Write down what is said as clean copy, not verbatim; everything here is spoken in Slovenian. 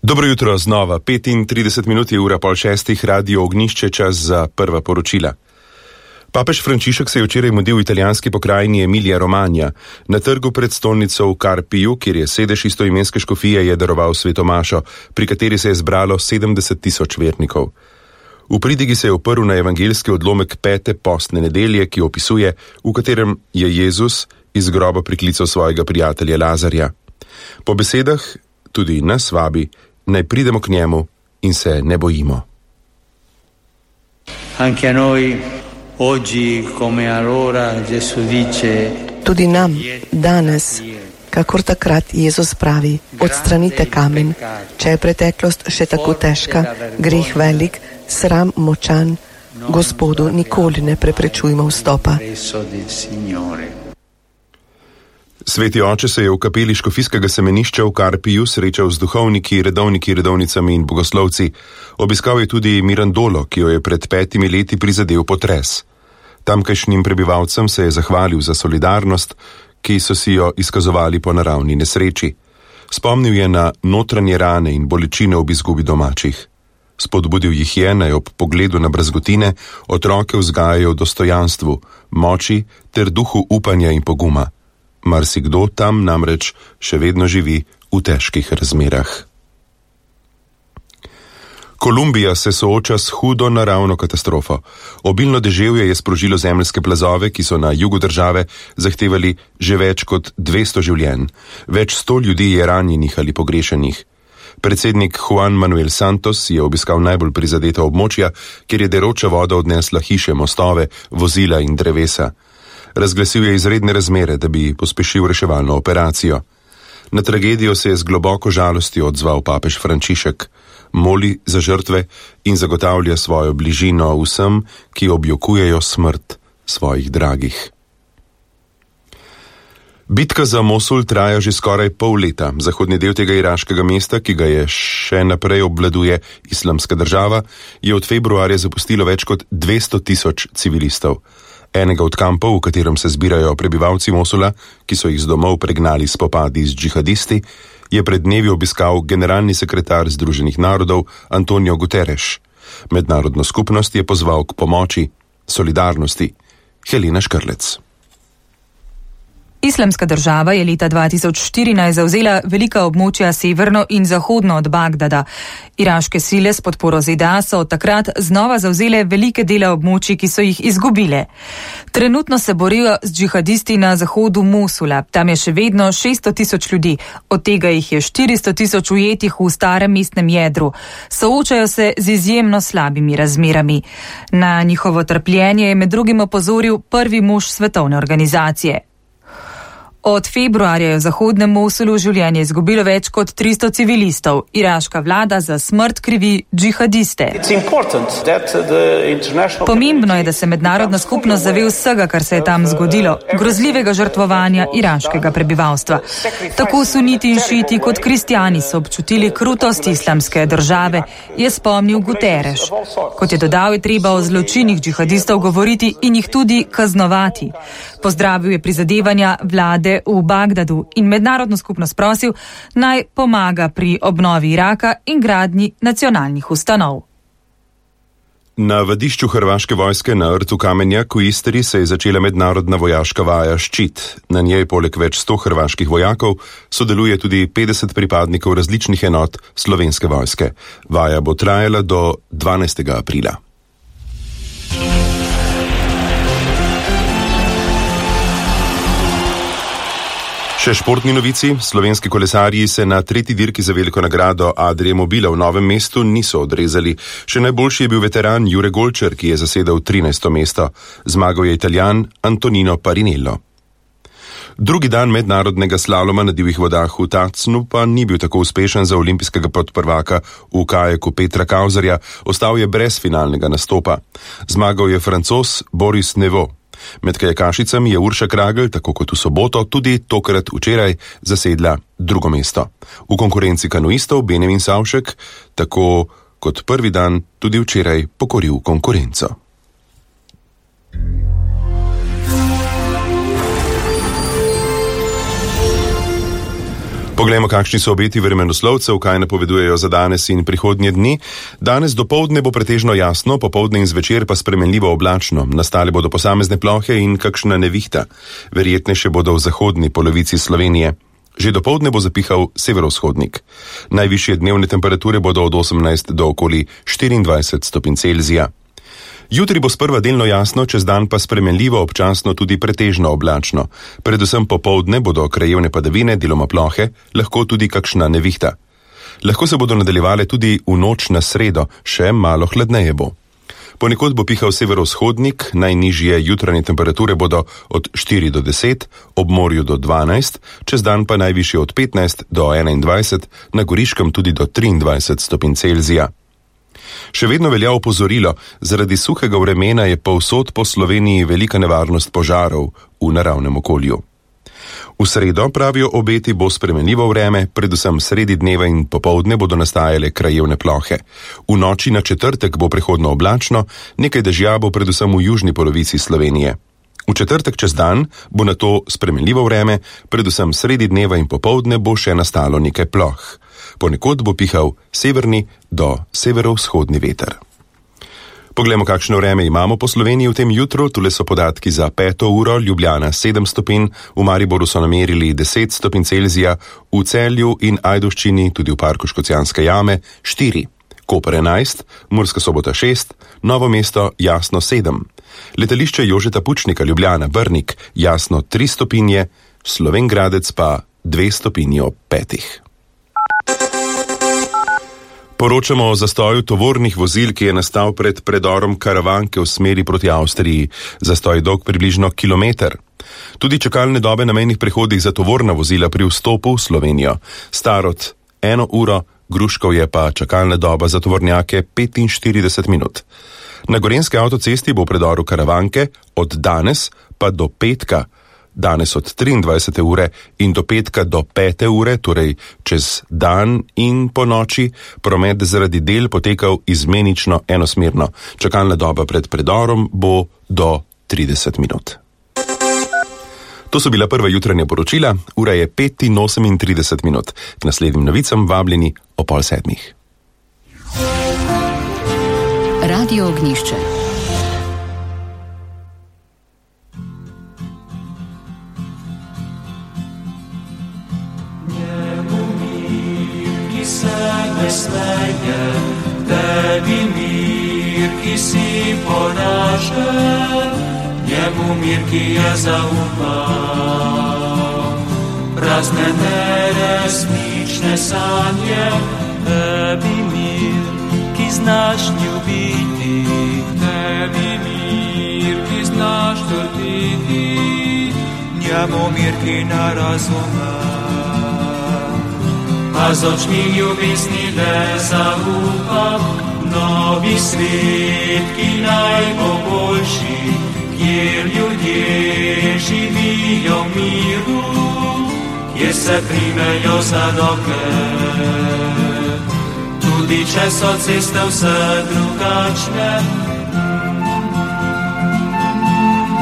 Dobro jutro znova, 35 minut je ura pol šestih, Radio Ognjišče, čas za prva poročila. Papež Frančišek se je včeraj mudil v italijanski pokrajini Emilia Romagna. Na trgu pred stolnico v Carpiu, kjer je sedež istoimenske škofije, je daroval sveto mašo, pri kateri se je zbralo 70.000 vernikov. V pridigi se je oprl na evangeljski odlomek 5. postne nedelje, ki opisuje, v katerem je Jezus iz groba priklical svojega prijatelja Lazarja. Po besedah tudi nas vabi, naj pridemo k njemu in se ne bojimo. Tudi nam danes, kakor takrat Jezus pravi, odstranite kamen, če je preteklost še tako težka, greh velik, sram močan, Gospodu nikoli ne preprečujmo vstopa. Sveti oče se je v kapeli škofijskega semenišča v Carpiju srečal z duhovniki, redovniki, redovnicami in bogoslovci. Obiskal je tudi Mirandolo, ki jo je pred 5 leti prizadel potres. Tamkajšnjim prebivalcem se je zahvalil za solidarnost, ki so si jo izkazovali po naravni nesreči. Spomnil je na notranje rane in bolečine ob izgubi domačih. Spodbudil jih je, naj ob pogledu na brazgotine otroke vzgajajo v dostojanstvu, moči ter duhu upanja in poguma. Marsikdo tam namreč še vedno živi v težkih razmerah. Kolumbija se sooča s hudo naravno katastrofo. Obilno deževje je sprožilo zemeljske plazove, ki so na jugu države zahtevali že več kot 200 življenj. Več 100 ljudi je ranjenih ali pogrešenih. Predsednik Juan Manuel Santos je obiskal najbolj prizadeta območja, kjer je deroča voda odnesla hiše, mostove, vozila in drevesa. Razglasil je izredne razmere, da bi pospešil reševalno operacijo. Na tragedijo se je z globoko žalostjo odzval papež Frančišek, moli za žrtve in zagotavlja svojo bližino vsem, ki objokujejo smrt svojih dragih. Bitka za Mosul traja že skoraj pol leta. Zahodni del tega iraškega mesta, ki ga je še naprej obvladuje Islamska država, je od februarja zapustilo več kot 200.000 civilistov. Enega od kampov, v katerem se zbirajo prebivalci Mosula, ki so jih z domov pregnali spopadi z džihadisti, je pred dnevi obiskal generalni sekretar Združenih narodov Antonio Guterres. Mednarodno skupnost je pozval k pomoči, solidarnosti. Helena Škrlec. Islamska država je leta 2014 zavzela velika območja severno in zahodno od Bagdada. Iraške sile s podporo ZDA so od takrat znova zavzele velike dele območij, ki so jih izgubile. Trenutno se borijo z džihadisti na zahodu Mosula. Tam je še vedno 600.000 ljudi, od tega jih je 400.000 ujetih v starem mestnem jedru. Soočajo se z izjemno slabimi razmerami. Na njihovo trpljenje je med drugim opozoril prvi mož svetovne organizacije. Od februarja je v zahodnem Mosulu življenje izgubilo več kot 300 civilistov. Iraška vlada za smrt krivi džihadiste. Pomembno je, da se mednarodna skupnost zave vsega, kar se je tam zgodilo, grozljivega žrtvovanja iraškega prebivalstva. Tako suniti in šiti kot kristjani so občutili krutost islamske države, je spomnil Guterres. Kot je dodal, je treba o zločinih džihadistov govoriti in jih tudi kaznovati. Pozdravil je prizadevanja vlade v Bagdadu in mednarodno skupnost prosil, naj pomaga pri obnovi Iraka in gradnji nacionalnih ustanov. Na vadišču hrvaške vojske na rtu Kamenjak v Istri se je začela mednarodna vojaška vaja Ščit. Na njej poleg več 100 hrvaških vojakov sodeluje tudi 50 pripadnikov različnih enot slovenske vojske. Vaja bo trajala do 12. aprila. Še športni novici. Slovenski kolesarji se na tretji dirki za veliko nagrado Adrie Mobila v Novem mestu niso odrezali. Še najboljši je bil veteran Jure Golčer, ki je zasedel 13. mesto. Zmagal je Italijan Antonino Parinello. Drugi dan mednarodnega slaloma na divjih vodah v Tacnu pa ni bil tako uspešen za olimpijskega podprvaka v kajaku Petra Kauzerja. Ostal je brez finalnega nastopa. Zmagal je Francoz Boris Neveu. Med kajakašicami je Urša Kragl, tako kot v soboto, tudi tokrat včeraj zasedla drugo mesto. V konkurenci kanuistov Benjamin Savšek, tako kot prvi dan, tudi včeraj pokoril konkurenco. Po Poglejmo, kakšni so obeti vremenoslovcev, kaj napovedujejo za danes in prihodnje dni. Danes dopoldne bo pretežno jasno, popoldne in zvečer pa spremenljivo oblačno. Nastale bodo posamezne plohe in kakšna nevihta. Verjetnejše bodo v zahodni polovici Slovenije. Že dopoldne bo zapihal severovzhodnik. Najvišje dnevne temperature bodo od 18 do okoli 24 stopinj Celzija. Jutri bo sprva delno jasno, čez dan pa spremenljivo, občasno tudi pretežno oblačno. Predvsem popoldne bodo krajevne padavine, deloma plohe, lahko tudi kakšna nevihta. Lahko se bodo nadaljevale tudi v noč na sredo, še malo hladneje bo. Ponekod bo pihal severovzhodnik, najnižje jutranje temperature bodo od 4 do 10, ob morju do 12, čez dan pa najvišje od 15 do 21, na Goriškem tudi do 23 stopinj Celzija. Še vedno velja opozorilo, zaradi suhega vremena je povsod po Sloveniji velika nevarnost požarov v naravnem okolju. V sredo, pravijo obeti, bo spremenljivo vreme, predvsem sredi dneva in popoldne bodo nastajale krajevne plohe. V noči na četrtek bo prehodno oblačno, nekaj dežja bo predvsem v južni polovici Slovenije. V četrtek čez dan bo na to spremenljivo vreme, predvsem sredi dneva in popoldne bo še nastalo nekaj ploh. Ponekod bo pihal severni do severovzhodni veter. Poglejmo, kakšno vreme imamo po Sloveniji v tem jutru. Tule so podatki za 5. uro, Ljubljana 7 stopinj, v Mariboru so namerili 10 stopinj Celzija, v Celju in Ajdovščini, tudi v parku Škocjanske jame, 4, Koper 11, Murska Sobota 6, Novo mesto jasno 7, letališče Jožeta Pučnika Ljubljana Brnik jasno 3 stopinje, Slovenj Gradec pa 2 stopinji ob 5. Poročamo o zastoju tovornih vozil, ki je nastal pred predorom Karavanke v smeri proti Avstriji. Zastoj je dolg približno kilometer. Tudi čakalne dobe na mejnih prehodih za tovorna vozila pri vstopu v Slovenijo. Starod 1 uro, Gruškov je pa čakalna doba za tovornjake 45 minut. Na gorenjski avtocesti bo v predoru Karavanke od danes pa do petka, danes od 23. ure in do petka do 5. ure, torej čez dan in po noči, promet zaradi del potekal izmenično enosmerno. Čakalna doba pred predorom bo do 30 minut. To so bila prva jutranja poročila, ura je 5:38 minut. K naslednjim novicam vabljeni o 6:30. Radio Ognjišče. Smeje, tebi mir, ki si poražen, njemu mir, ki je zaupal. Prazne neresnične sanje, tebi mir, ki znaš ljubiti, tebi mir, ki znaš trditi, njemu mir, ki ne razume. A z očmi ljubezni le zaupam, novi svet, ki naj bo boljši, kjer ljudje živijo v miru, kjer se primejo za roke. Tudi če so ceste vse drugačne,